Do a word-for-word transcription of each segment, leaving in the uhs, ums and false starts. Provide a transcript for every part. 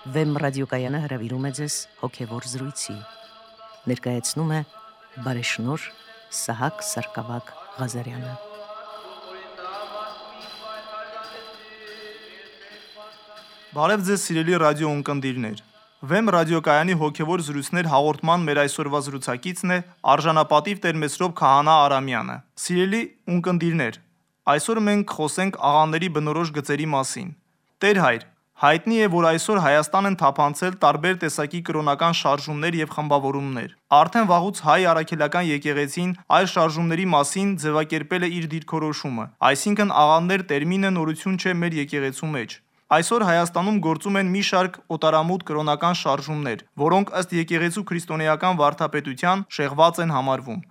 Վեմ ռադիոկայանը հրավիրում է ձեզ հոգևոր զրույցի։ Ներկայացնում է բարեշնորհ Սահակ Սարգսակ Ղազարյանը։ Բարև ձեզ սիրելի ռադիո ունկնդիրներ։ Վեմ ռադիոկայանի հոգևոր զրույցներ հաղորդման մեր այսօրվա զրուցակիցն է արժանապատիվ Տեր-Մեսրոպ Քահանա Արամյանը։ Սիրելի ունկնդիրներ, այսօր մենք խոսենք աղաների բնորոշ գծերի մասին։ Տեր հայր, հայտնի է, որ այսօր Հայաստան են թափանցել տարբեր տեսակի կրոնական շարժումներ եւ խմբավորումներ։ Արդեն վաղուց հայ առաքելական եկեղեցին այս շարժումների մասին ձևակերպել է իր դիրքորոշումը, այսինքն աղանդեր տերմինը նորություն չէ մեր եկեղեցու մեջ։ Այսօր Հայաստանում գործում են մի շարք օտարամուտ կրոնական շարժումներ, որոնք ըստ եկեղեցու քրիստոնեական վարդապետության շեղված են համարվում։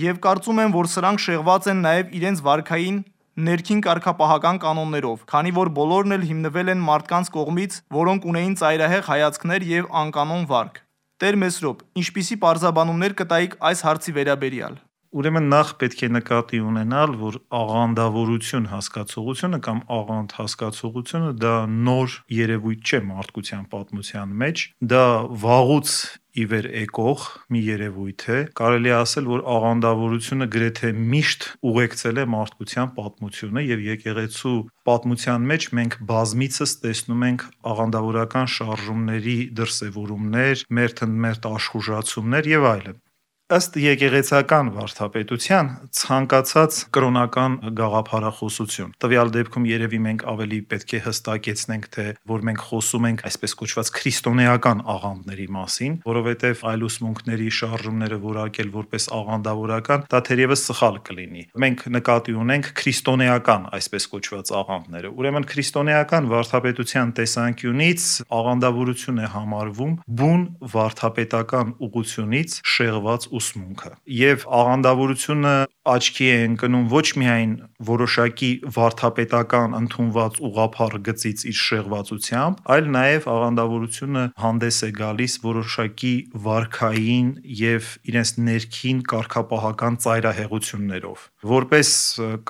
Եվ կարծում եմ, որ սրանք շեղված են նաև իրենց վարքային ներքին կարգապահական կանոններով, քանի որ բոլորն էլ հիմնվել են մարդկանց կողմից, որոնք ունեին ծայրահեղ հայացքներ եւ անկանոն վարք։ Տեր Մեսրոպ, ինչպիսի պարզաբանումներ կտայիք այս հարցի վերաբերյալ։ Ուրեմն նախ պետք է նկատի ունենալ, որ աղանդավորություն հասկացողությունը կամ աղանդ հասկացողությունը դա նոր երևույթ չէ մարդկության պատմության մեջ, դա վաղուց ի վեր եկող մի երևույթ է։ Կարելի է ասել, որ աղանդավորությունը գրեթե միշտ ուղեկցել է մարդկության պատմությունը եւ եկեղեցու պատմության մեջ մենք բազմիցս տեսնում ենք աղանդավորական շարժումների դրսևորումներ, մերթընդմերթ աշխուժացումներ եւ այլն։ Ըստ եկեղեցական վարդապետության ցանկացած կրոնական գաղափարախոսություն։ Տվյալ դեպքում երևի մենք ավելի պետք է հստակեցնենք, թե որ մենք խոսում ենք այսպես կոչված քրիստոնեական աղանդների մասին, որովհետև այլ ուսմունքների շարժումները որակել որպես աղանդավորական, դա թերևս սխալ կլինի։ Մենք նկատի ունենք քրիստոնեական այսպես կոչված աղանդները։ Ուրեմն քրիստոնեական վարդապետության տեսանկյունից աղանդավորություն է համարվում բուն վարդապետական ուղղությունից շեղված ուսմունքը։ Եվ աղանդավորությունը աչքի է ընկնում ոչ միայն որոշակի վարդապետական ընդունված ուղղափառ գծից իր շեղվածությամբ, այլ նաև աղանդավորությունը հանդես է գալիս որոշակի վարքային եւ իրենց ներքին կարգապահական ծայրահեղություններով։ Որպես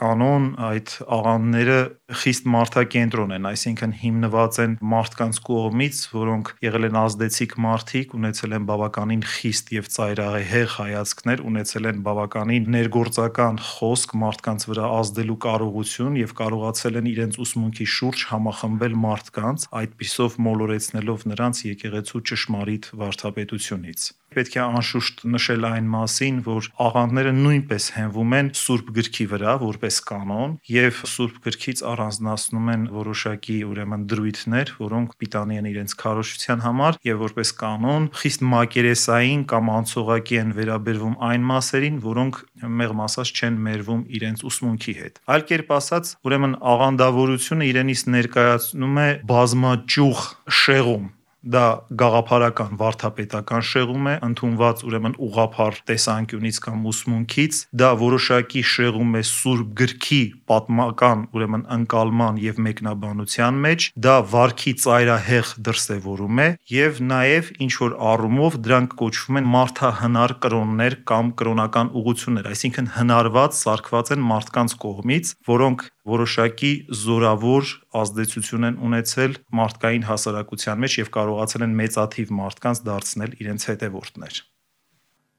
կանոն այդ աղանդները խիստ մարդակենտրոն են, այսինքն հիմնված են մարդկանց կողմից, որոնք եղել են ազդեցիկ մարդիկ, ունեցել են բավականին խիստ եւ ծայրահեղ հայացքներ, ունեցել են բավականին ներգործական խոսք մարդկանց վրա ազդելու կարողություն եւ կարողացել են իրենց ուսմունքի շուրջ համախմբել մարդկանց, այդպիսով մոլորեցնելով նրանց եկեղեցու ճշմարիտ վարդապետությունից։ Պետք է անշուշտ նշել այն մասին, որ աղանդները նույնպես հենվում են Սուրբ գրքի վրա որպես կանոն եւ Սուրբ գրքից առանձնացնում են որոշակի ուրեմն դրույթներ, որոնք պիտանի են իրենց քարոզչության համար եւ որպես կանոն խիստ մակերեսային կամ անցողակի են վերաբերվում այն մասերին, որոնք մեղմ ասած չեն մերվում իրենց ուսմունքի հետ։ Այլ կերպ ասած, ուրեմն աղանդավորությունը իրենից ներկայացնում է բազմաճյուղ շեղում։ Դա գաղափարական վարդապետական շեղում է, ընդունված ուրեմն ուղղափառ տեսանկյունից կամ ուսմունքից, դա որոշակի շեղում է Սուրբ գրքի պատմական ուրեմն ընկալման եւ մեկնաբանության մեջ, դա վարքի ծայրահեղ դրսևորում է եւ նաեւ ինչ որ առումով դրանք կոչվում են մարդահնար կրոններ կամ կրոնական ուղղություններ, այսինքն հնարված սարքված են մարդկանց կողմից, որոնք որոշակի զորավոր ազդեցություն են ունեցել մարդկային հասարակության մեջ եւ կարողացել են մեծաթիվ մարդկանց դարձնել իրենց հետևորդներ։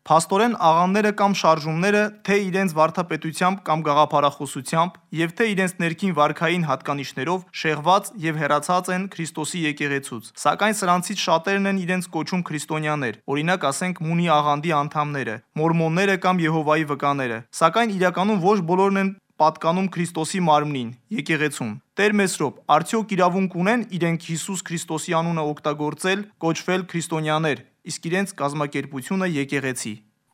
Փաստորեն աղանդները կամ շարժումները թե իրենց վարդապետությամբ կամ գաղափարախոսությամբ եւ թե իրենց ներքին վարքային հատկանիշներով շեղված եւ հեռացած են Քրիստոսի եկեղեցուց, սակայն սրանցից շատերն են իրենց կոչում քրիստոնյաներ, օրինակ ասենք Մունի աղանդի անդամները, մորմոնները կամ Եհովայի վկաները, սակայն իրականում ոչ բոլորն են պատկանում Քրիստոսի մարմնին, եկեղեցուն։ Տեր Մեսրոպ, արդյոք իրավունք ունեն իրենք Հիսուս Քրիստոսի անունը օգտագործել, կոչվել քրիստոնյաներ, իսկ իրենց կազմակերպությունը եկեղեցի։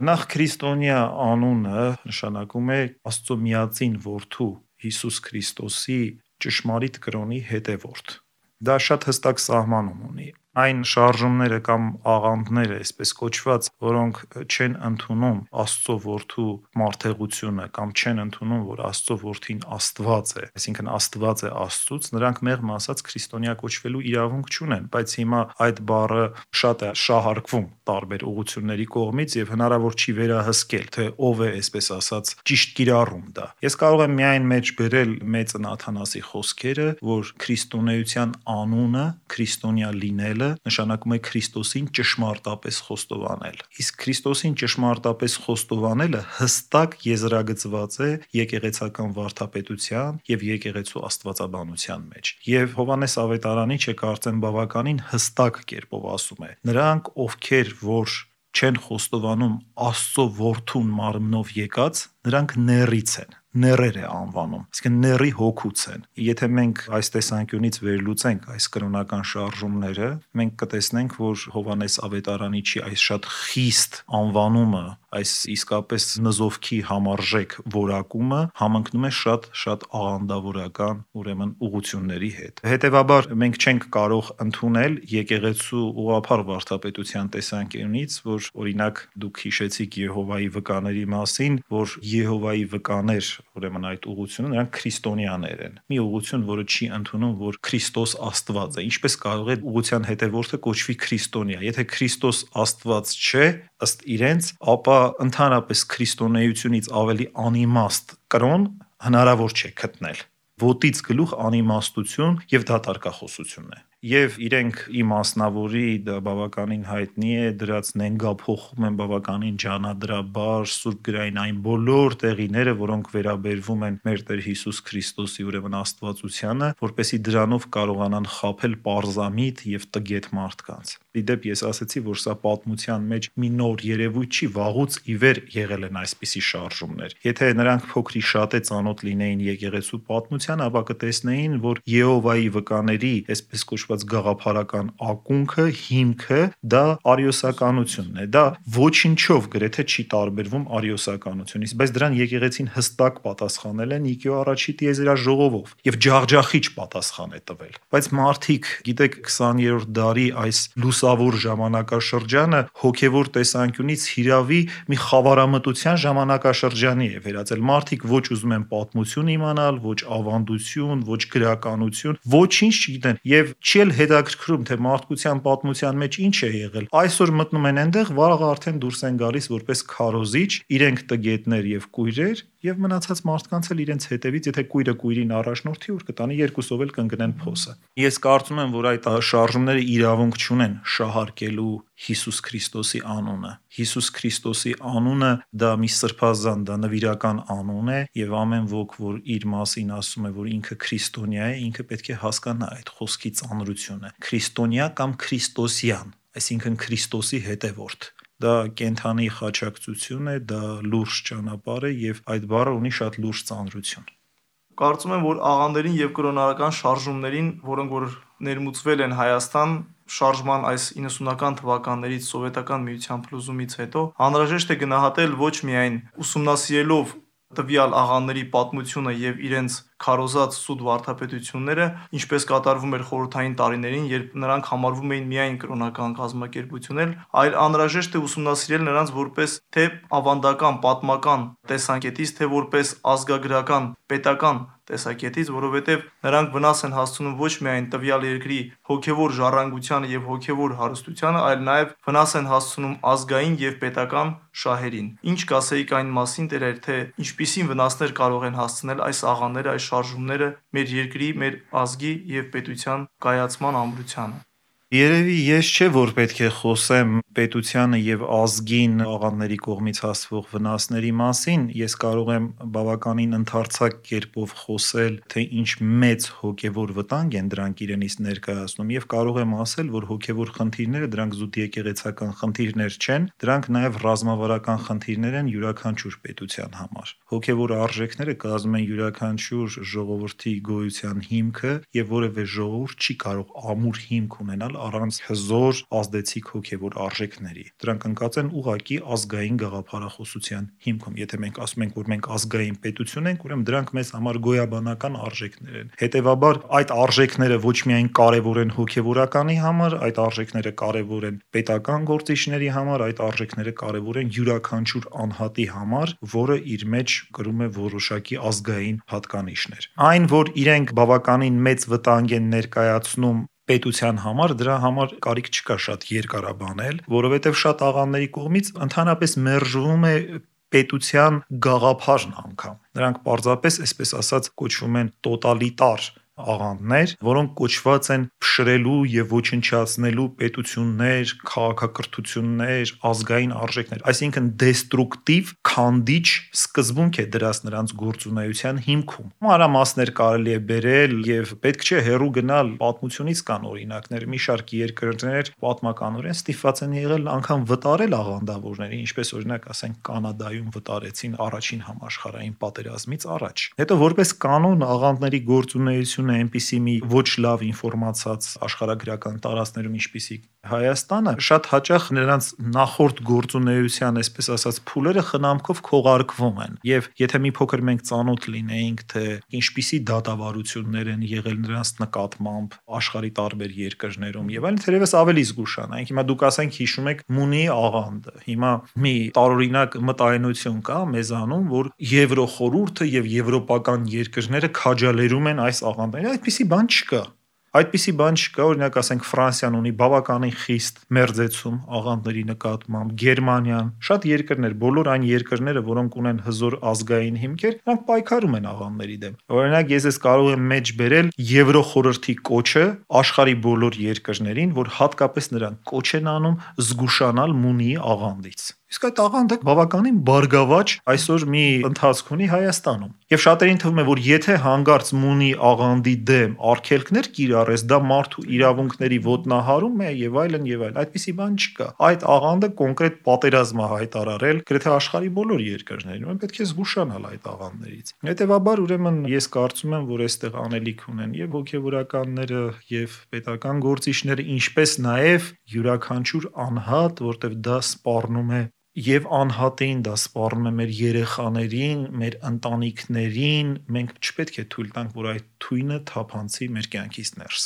Նախ քրիստոնյա անունը նշանակում է Աստծո միածին որդու Հիսուս Քրիստոսի ճշմարիտ կրոնի հետևորդ։ Դա շատ հստակ սահմանում ունի։ Այն շարժումները կամ աղանդները, այսպես կոչված, որոնք չեն ընդունում Աստծո որդու մարդեղությունը կամ չեն ընդունում, որ Աստծո որդին Աստված է, այսինքն Աստված է Աստծուց, նրանք մեղմ ասած քրիստոնյա կոչվելու իրավունք չունեն, բայց հիմա այդ բառը շատ է շահարկվում տարբեր ուղղությունների կողմից եւ հնարավոր չի վերահսկել, թե ով է, այսպես ասած, ճիշտ կիրառում դա։ Ես կարող եմ միայն մեջ բերել մեծն Աթանասի խոսքերը, որ քրիստոնեության անունը, քրիստոնյա լինելը խոստովանելը նշանակում է Քրիստոսին ճշմարտապես խոստովանել։ Իսկ Քրիստոսին ճշմարտապես խոստովանելը հստակ եզրագծված է եկեղեցական վարդապետության եւ եկեղեցու աստվածաբանության մեջ։ Եվ Հովհաննես Ավետարանիչը կարծեմ բավականին հստակ կերպով ասում է. նրանք, ովքեր որ չեն խոստովանում Աստծո որդուն մարմնով եկած, նրանք նեռից են, նեռեր է անվանում, այսինքն նեռի հոգուց են։ Եթե մենք այս տեսանկյունից վերլուծենք այս կրոնական շարժումները, մենք կտեսնենք, որ Հովհաննես Ավետարանիչի այս շատ խիստ անվանումը, այս իսկապես նզովքի համարժեք որակումը համընկնում է շատ-շատ աղանդավորական, ուրեմն ուղղությունների հետ։ Հետևաբար մենք չենք կարող ընդունել եկեղեցու ուղղափառ վարդապետության տեսանկյունից, որ օրինակ դուք հիշեցիք Եհովայի վկաների մասին, որ Եհովայի վկաներ, ուրեմն այդ ուղղությունը նրանք քրիստոնյաներ են։ Մի ուղղություն, որը չի ընդունում, որ Քրիստոս Աստված է։ Ինչպես կարող է ուղղության հետևորդը կոչվի քրիստոնյա։ Եթե Քրիստոս Աստված չէ, ըստ իրենց, ապա ընդհանրապես քրիստոնեությունից ավելի անիմաստ կրոն հնարավոր չէ գտնել։ Ոտից գլուխ անիմաստություն եւ դատարկախոսություն է։ Եվ իրենք իմ մասնավորի դա բավականին հայտնի է, դրած նենգափոխում են բավականին ջանադրաբար Սուրբ գրային այն բոլոր տեղիները, որոնք վերաբերվում են մեր Տեր Հիսուս Քրիստոսի ուրեմն աստվածությանը, որպեսզի դրանով կարողանան խաբել պարզամիտ եւ տգետ մարդկանց։ Իդեպ ես ասացի, որ սա պատմության մեջ մի նոր երևույթ չի, վաղուց ի վեր եղել են այսպիսի շարժումներ։ Եթե նրանք փոքրի շատ է ծանոթ լինեին եկեղեցու պատմության, ապա կտեսնեին, որ Եհովայի վկաների, այսպես կոչված գաղափարական ակունքը, հիմքը դա արիոսականությունն է։ Դա ոչինչով գրեթե չի տարբերվում արիոսականությունից, բայց դրան եկեղեցին հստակ պատասխանել է Նիկեո առաջի տիեզերաժողովով եւ ջախջախիչ պատասխան է տվել։ Բայց մարդիկ, գիտեք, քսաներորդ դարի այս լուսավոր ժամանակաշրջանը հոգեվոր տեսանկյունից հիրավի մի խավարամտության ժամանակաշրջանի է վերածել։ Մարդիկ ոչ ուզում են պատմություն իմանալ, ոչ ավանդություն, ոչ գրականություն, ոչինչ չգիտեն եւ չի էլ հետաքրքրում, թե մարդկության պատմության մեջ ինչ է եղել։ Այսօր մտնում են այնտեղ, վաղը արդեն դուրս են գալիս որպես քարոզիչ, իրենք տգետներ եւ կույրեր, եւ մնացած մարդկանց էլ իրենց հետևից, եթե կույրը կույրին առաջնորդի, որ կտանի երկուսով էլ կընկնեն փոսը։ Ես կարծում եմ, որ այդ շարժումները իրավունք չունեն շահարկելու Հիսուս Քրիստոսի անունը։ Հիսուս Քրիստոսի անունը դա մի սրբազան, դա նվիրական անուն է եւ ամեն ոք, որ իր մասին ասում է, որ ինքը քրիստոնյա է, ինքը պետք է հասկանա այդ խոսքի ծանրությունը։ Քրիստոնյա կամ քրիստոսյան, այսինքն Քրիստոսի հետևորդ։ Դա կենթանի խաչակցություն է, դա լուրջ ճանապարհ է եւ այդ բառը ունի շատ լուրջ ծանրություն։ Կարծում եմ, որ աղանդերին եւ կրոնական շարժումներին, որոնք որ ներմուծվել են Հայաստան շարժման այս իննսունական թվականներից սովետական միության փլուզումից հետո, անհրաժեշտ է գնահատել ոչ միայն ուսումնասիրելով տվյալ աղաների պատմությունը եւ իրենց քարոզած սուտ վարդապետությունները, ինչպես կատարվում էր խորհրդային տարիներին, երբ նրանք համարվում էին միայն կրոնական կազմակերպություններ, այլ անհրաժեշտ է ուսումնասիրել նրանց որպես թե ավանդական, պատմական տեսանկյունից, թե որպես ազգագրական, պետական տեսակետից, որովհետև նրանք վնաս են հասցնում ոչ միայն տվյալ երկրի հոգևոր ժառանգությանը եւ հոգևոր հարստությանը, այլ նաեւ վնաս են հասցնում ազգային եւ պետական շահերին։ Ինչ կասեիք այն մասին, Տեր, թե ինչպիսին վնասներ կարող են հասցնել այս աղաները, այս շարժումները մեր երկրի, մեր ազգի եւ պետության կայացման ամրությանը։ Երևի ես չէ, որ պետք է խոսեմ պետությանը եւ ազգին աղանդների կողմից հասվող վնասների մասին, ես կարող եմ բավականին ընդարձակ կերպով խոսել, թե ինչ մեծ հոգեվոր վտանգ են դրանք իրենից ներկայացնում եւ կարող եմ ասել, որ հոգեվոր խնդիրները դրանք զուտ եկեղեցական խնդիրներ չեն, դրանք նաեւ ռազմավարական խնդիրներ են յուրաքանչյուր պետության համար։ Հոգեվոր արժեքները կազմում են յուրաքանչյուր ժողովրդի գոյության հիմքը եւ որևէ ժողովուրդ չի կարող ամուր հիմք ունենալ առանց հզոր ազդեցիկ հոգևոր արժեքների։ Դրանք ընկած են ուղակի ազգային գաղափարախոսության հիմքում։ Եթե մենք ասում ենք, որ մենք ազգային պետություն ենք, ուրեմն դրանք մեզ համար գոյաբանական արժեքներ են։ Հետևաբար այդ արժեքները ոչ միայն կարևոր են հոգևորականի համար, այդ արժեքները կարևոր են պետական գործիչների համար, այդ արժեքները կարևոր են յուրաքանչյուր անհատի համար, որը իր մեջ կրում է որոշակի ազգային հատկանիշներ։ Այն, որ իրենք բավականին մեծ վտանգ են ներկայացնում պետության համար, դրա համար կարիք չկա շատ երկարաբանել, որովհետև շատ աղանդների կողմից ընդհանրապես մերժվում է պետության գաղափարն անգամ։ Նրանք պարզապես, այսպես ասած, կոչվում են տոտալիտար աղանդներ, որոնք կոչված են փշրելու եւ ոչնչացնելու պետություններ, քաղաքակրթություններ, ազգային արժեքներ, այսինքն դեստրուկտիվ, քանդիչ սկզբունք է դրած նրանց գործունեության հիմքում։ Մանրամասներ կարելի է բերել եւ պետք չէ հեռու գնալ պատմությունից կան օրինակներ, մի շարք երկրներ պատմականորեն ստիպված են եղել անգամ վտարել աղանդավորներին, ինչպես օրինակ ասենք Կանադայում վտարեցին առաջին համաշխարհային պատերազմից առաջ։ Հետո որպես կանոն աղանդների գործունեությունը այնպիսի մի ոչ լավ ինֆորմացած աշխարհագրական տարածքներում, ինչպիսիք Հայաստանը, շատ հաճախ նրանց նախորդ գործունեության, այսպես ասած, փուլերը խնամքով քողարկվում են։ Եվ եթե մի փոքր մենք ծանոթ լինեինք, թե ինչպիսի դատավարություններ են եղել նրանց նկատմամբ աշխարհի տարբեր երկրներում եւ այլն, թերևս ավելի զգուշանայինք։ Հիմա դուք ասենք հիշում եք Մունիի աղանդը։ Հիմա մի տարօրինակ մտայնություն կա մեզանում, որ Եվրոխորհուրդը եւ եվրոպական երկրները քաջալերում են այս աղանդներին։ Այդպիսի բան չկա։ Այդպիսի բան չկա, օրինակ ասենք Ֆրանսիան ունի բավականին խիստ մերձեցում աղանդների նկատմամբ, Գերմանիան, շատ երկրներ, բոլոր այն երկրները, որոնք ունեն հզոր ազգային հիմքեր, նրանք պայքարում են աղանդների դեմ։ Օրինակ ես ես կարող եմ մեջ բերել Եվրոխորհրդի կոչը աշխարհի բոլոր երկրներին, որ հատկապես նրանք կոչ են անում զգուշանալ Մունիի աղանդից։ Իսկ այդ աղանդը բավականին բարգավաճ այսօր մի ընթացք ունի Հայաստանում։ Եվ շատերին թվում է, որ եթե հանգարց Մունի աղանդի դեմ արգելքներ կիրառես, դա մարդու իրավունքների ոտնահարում է եւ այլն եւ այլն։ Այդպիսի բան չկա։ Այդ աղանդը կոնկրետ պատերազմ է հայտարարել գրեթե աշխարհի բոլոր երկրներում։ Մենք պետք է զգուշանալ այդ աղանդներից։ Հետևաբար ուրեմն ես կարծում եմ, որ այստեղ անելիք ունեն եւ հոգեվորականները եւ պետական գործիչները, ինչպես նաեւ յուրաքանչյուր անհատ, որտեղ դա սպառնում է Եվ անհատին դա սպառնում է մեր երեխաներին, մեր ընտանիքներին, մենք չպետք է թույլ տանք, որ այդ թույնը թափանցի մեր կյանքից ներս։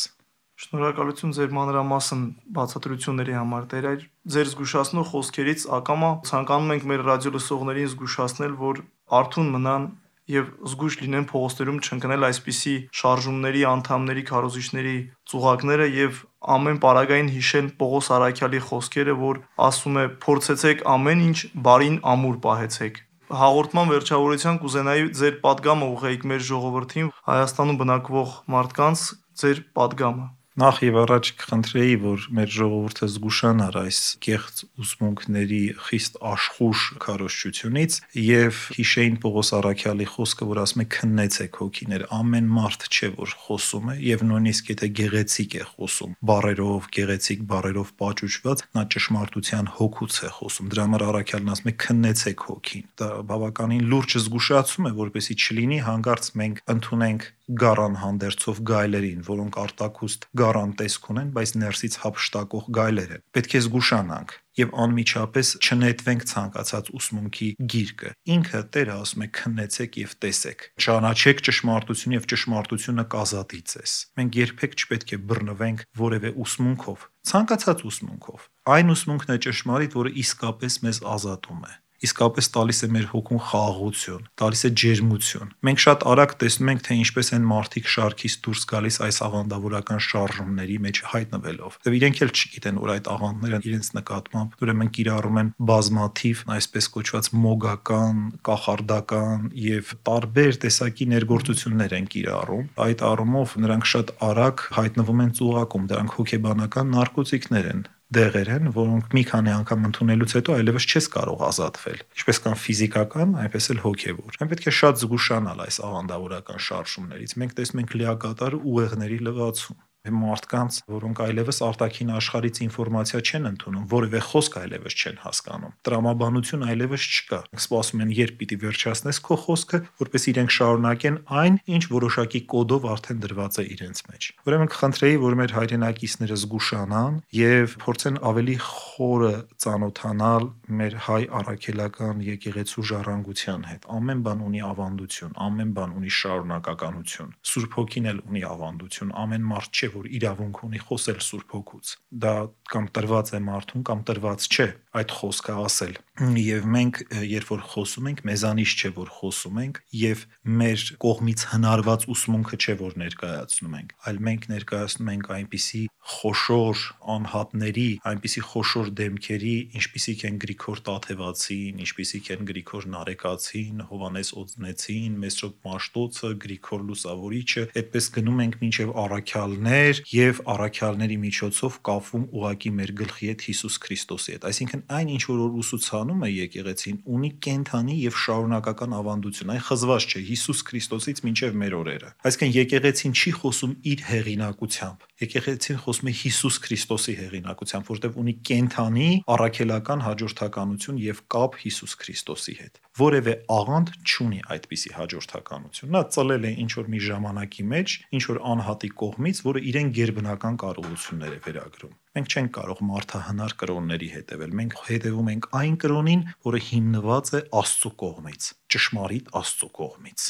Շնորհակալություն ձեր մանրամասն բացատրությունների համար, Տեր, ձեր զգուշացնող խոսքերից ակամա ցանկանում ենք մեր ռադիո լսողներին զգուշացնել, որ արթուն մնան եւ զգույշ լինեն փողոցներում չընկնել այսպիսի շարժումների, անդամների, քարոզիչների ծուղակները եւ ամեն պարագային հիշեն Պողոս Արաքյալի խոսքերը, որ ասում է փորձեցեք ամեն ինչ, բարին ամուր պահեցեք։ Հաղորդման վերջավորության կուզենայի ձեր պատգամը ուղղեիք մեր ժողովրդին, Հայաստանում բնակվող մարդկանց ձեր պատգամը։ Նախ եւ առաջ կխնդրեի, որ մեր ժողովուրդը զգուշանար այս կեղծ ուսմունքների խիստ աշխուժ քարոզչությունից եւ հիշեին Պողոս Արաքյալի խոսքը, որ ասում է քննեցեք հոգիներ, ամեն մարդ չէ, որ խոսում է եւ նույնիսկ եթե գեղեցիկ է խոսում, բառերով, գեղեցիկ բառերով պաճուճված, նա ճշմարտության հոգուց է խոսում։ Դրա համար Արաքյալն ասում է քննեցեք հոգին։ Դա բավականին լուրջ զգուշացում է, որպեսզի չլինի հանգարց մենք ընդունենք գարան հանդերձով գայլերին, որոնք արտակուստ գարան տեսք ունեն, բայց ներսից հափշտակող գայլեր են։ Պետք է զգուշանանք եւ անմիջապես չնետվենք ցանկացած ուսմունքի գիրկը։ Ինքը Տերը ասում է քննեցեք եւ տեսեք։ Ճանաչեք ճշմարտությունը եւ ճշմարտությունը կազատի ձեզ։ Մենք երբեք չպետք է բռնվենք որևէ ուսմունքով, ցանկացած ուսմունքով։ Այն ուսմունքն է ճշմարիտ, որը իսկապես մեզ ազատում է։ Իսկապես տալիս է մեր հոգուն խաղաղություն, տալիս է ջերմություն։ Մենք շատ արագ տեսնում ենք, թե ինչպես են մարդիկ շարքից դուրս գալիս այս աղանդավորական շարժումների մեջ հայտնվելով։ Եվ իրենք էլ չգիտեն, որ այդ աղանդները իրենց նկատմամբ ուրեմն կիրառում են բազմաթիվ, այսպես կոչված մոգական, կախարդական եւ տարբեր տեսակի ներգործություններ են կիրառում։ Այդ առումով նրանք շատ արագ հայտնվում են ծուղակում, դրանք հոգեբանական նարկոտիկներ են։ Դեղեր են, որոնք մի քանի անգամ ընդունելուց հետո այլևս չես կարող ազատվել։ Ինչպես կան ֆիզիկական, այնպես էլ հոգևոր։ Մենք պետք է շատ զգուշանալ այս աղանդավորական շարժումներից։ Մենք տեսնում ենք լիակատար ուղեղների լվացում։ Մարդկանց, որոնք այլևս արտաքին աշխարհից ինֆորմացիա չեն ընդունում, որևէ խոսք այլևս չեն հասկանում։ Տրամաբանություն այլևս չկա։ Սպասում են, երբ պիտի վերջացնես քո խոսքը, որպես իրենք շարունակեն այն, ինչ որոշակի կոդով արդեն դրված է իրենց մեջ։ Ուրեմն կխնդրեի, որ մեր հայրենակիցները զգուշանան եւ փորձեն ավելի խորը ծանոթանալ մեր հայ առաքելական եկեղեցու ժառանգության հետ։ Ամեն բան ունի ավանդություն, ամեն բան ունի շարունակականություն։ Սուրբ Հոգին էլ ունի ավանդություն, ամեն մարդ չէ, որ իրավունք ունի խոսել Սուրբ Հոգուց։ Դա կամ տրված է մարդուն կամ տրված չէ այդ խոսքը ասել։ Եվ մենք երբ որ խոսում ենք, մեզանից չէ որ խոսում ենք, եւ մեր կողմից հնարված ուսմունքը չէ որ ներկայացնում ենք, այլ մենք ներկայացնում ենք այնպիսի խոշոր անհատների, այնպիսի խոշոր դեմքերի, ինչպիսիք են Գրիգոր Տաթևացին, ինչպիսիք են Գրիգոր Նարեկացին, Հովանես Օձնեցին, Մեսրոպ Մաշտոցը, Գրիգոր Լուսավորիչը, այդպես գնում ենք մինչև առաքյալներ եւ առաքյալների միջոցով կապվում ուղակի մեր գլխի հետ Հիսուս Քրիստոսի հետ։ Այսինքն այն ինչ որ ուսուցանում է եկեղեցին ունի կենթանի եւ շարունակական ավանդություն, այն խզված չէ Հիսուս Քրիստոսից մինչև մեր օրերը։ Այսինքն եկեղեցին չի խոսում իր հեղինակությամբ, եկեղեցին խոսում է Հիսուս Քրիստոսի հեղինակությամբ, որտեղ ունի կենթանի առաքելական հաջորդականություն եւ կապ Հիսուս Քրիստոսի հետ։ Որևէ աղանդ չունի այդպիսի հաջորդականություն։ Նա ծլել է ինչ որ մի ժամանակի մեջ, ինչ որ անհատի կողմից, որը իրեն գերբնական կարողություններ է վերագրում։ Մենք չենք կարող մարդահնար կրոնների հետևել։ Մենք հետևում ենք այն կրոնին, որը հիմնված է Աստծո կողմից, ճշմարիտ Աստծո կողմից։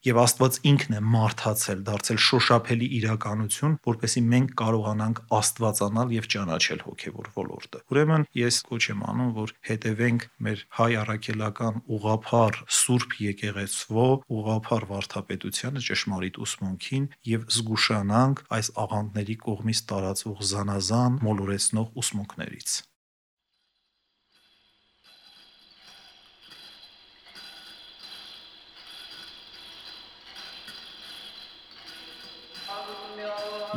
Եվ Աստված ինքն է մարդացել, դարձել շոշափելի իրականություն, որպեսզի մենք կարողանանք աստվածանալ եւ ճանաչել հոգեվոր ոլորտը։ Ուրեմն ես կոչ եմ անում, որ հետևենք մեր հայ առաքելական ուղղափառ Սուրբ եկեղեցվո ուղղափառ վարդապետությանը, ճշմարիտ ուսմունքին եւ զգուշանանք այս աղանդների կողմից տարածվող զանազան մոլորեցնող ուսմունքներից։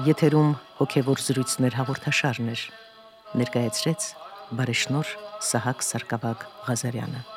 Եթերում հոգևոր զրույցներ հաղորդաշարներ ներկայացրեց բարեշնորհ Սահակ Սարգսակ Ղազարյանը։